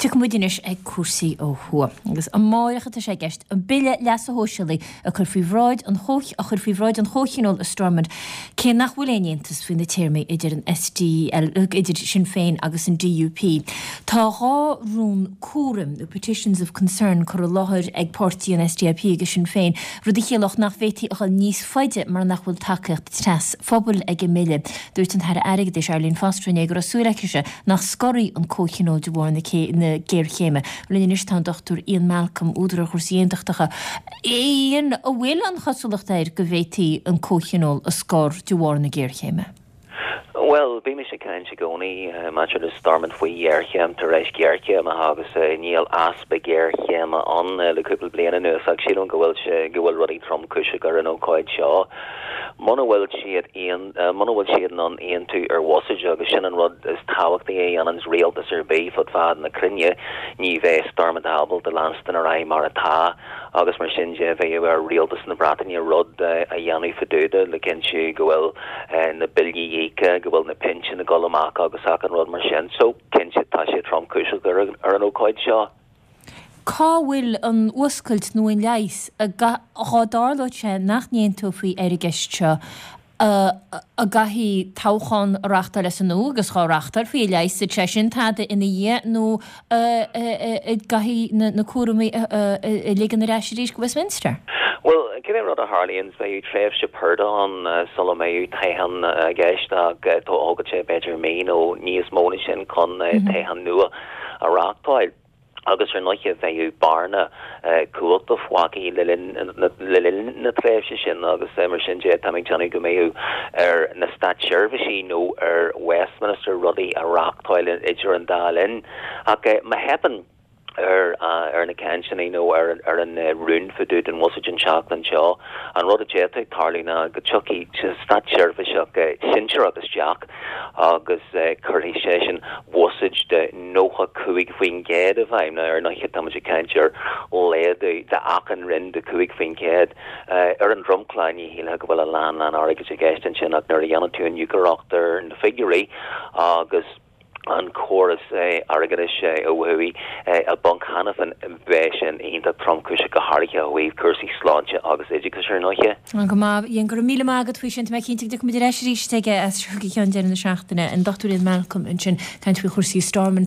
Tiocfaidh muid anois ag cúrsaí ó thuaidh. Agus amáireach atá sé i gceist an Bille Leasa Shóisialaigh a chur faoi bhráid an a chur faoi bhráid an Chomhthionóil i Stormont cé nach bhfuil aon aontas faoi na téarmaí idir an SDL, idir Sinn Féin agus an DUP. Tá 2 rún cúraim, nó petitions of concern, curtha i láthair ag páirtí an SDLP agus Sinn Féin, rud a chiallódh nach bhféadfaí a dhul níos faide mar nach bhfuil tacaíocht trasphobail ag an mbille. Dúirt an tAire Airgeadais Arlene Foster inné go raibh súil aicise nach scorfaí an Comhthionól de bharr na géarchéime. Linn anois tá an Dr Ian Malcolm, údar ar chúrsaí aontachtacha. Ian, an bhfuil an chosúlacht air go bhféadfaí an Comhthionól a scor de bharr na géarchéime? Bhuel, bímis ag caint i gcónaí maidir le Stormont faoi ghéarchéim tar éis géarchéime agus níl easpa géarchéime ann le cúpla bliain anuas ach sílim go bhfuil sé, go bhfuil rudaí tromchúiseach ar an ócáid seo. Muna bhfuil siad aon, muna bhfuil siad in ann aontú ar bhuiséad agus sin an rud is tábhachtaí a dhéananns rialtas ar bith fud fad na cruinne, ní bheidh Stormont ábalta leanstan ar aghaidh mar atá. Agus mar sin de, bheadh ar rialtas na Breataine rud a dhéanamh fá dtaobh de le cinntiú go bhfuil na billí íoctha, go bhfuil na pinsin ag dul amach agus achan rud mar sin. So, cinnte, tá sé tromchúiseach ar an ócáid seo. Cá bhfuil an fhuascailt nó an leigheas dá dtarlódh sé nach n-aontófaí ar an gceist seo? An gcaithfí toghchán a reachtáil as an nua agus dhá reachtálfaí an leigheasfadh sé sin tada ina dhiaidh nó an gcaithfí na cúraimí a ligean ar ais arís go Westminster? Bhuel, cibé rud a tharlaíonn, beidh tréimhse purda ann sula mbeidh toghchán i gceist ach tógfaidh sé b'fhéidir mí nó níos mó ná sin chun toghchán nua a reachtáil. agus ar ndóighe bheadh bearna cumhachta fágtha le linn na tréimhse sin agus mar sin de tá mé ag déanamh go mbeadh ar na státseirbhísigh nó ar Westminster rudaí a reachtáil idir an dá linn. Ach má theipeann ar ar na cainteanna nó ar ar an rún fá dtaobh den bhuiséad an tseachtain seo, an rud a d'fhéadfadh tarlú ná go dtiocfaidh státseirbhíseach sinsearach isteach agus cuirfidh seisean buiséad de 95% i bhfeidhm. Now, ar ndóighe, tá muid ag caint ar laghdú d'achan roinn de 5%. Ar an dromchla, ní shílfeá go bhfuil a lán lán airgid i gceist ansin ach nuair a dhéanann tú iniúchóireacht ar na figiúirí agus an córas airgeadais ó thuaidh i bponc cheana féin, beidh sin iontach tromchúiseach go háirithe ó thaobh cúrsaí sláinte agus oideachais ar ndóighe. Go maith, Ian, go raibh míle maith agat faoi sin. Tá mé cinnte go dtiocfaidh muid ar ais arís aige as seo go ceann deireadh na seachtaine. An Dr Ian Malcolm ansin, caint faoi chúrsaí Stormont.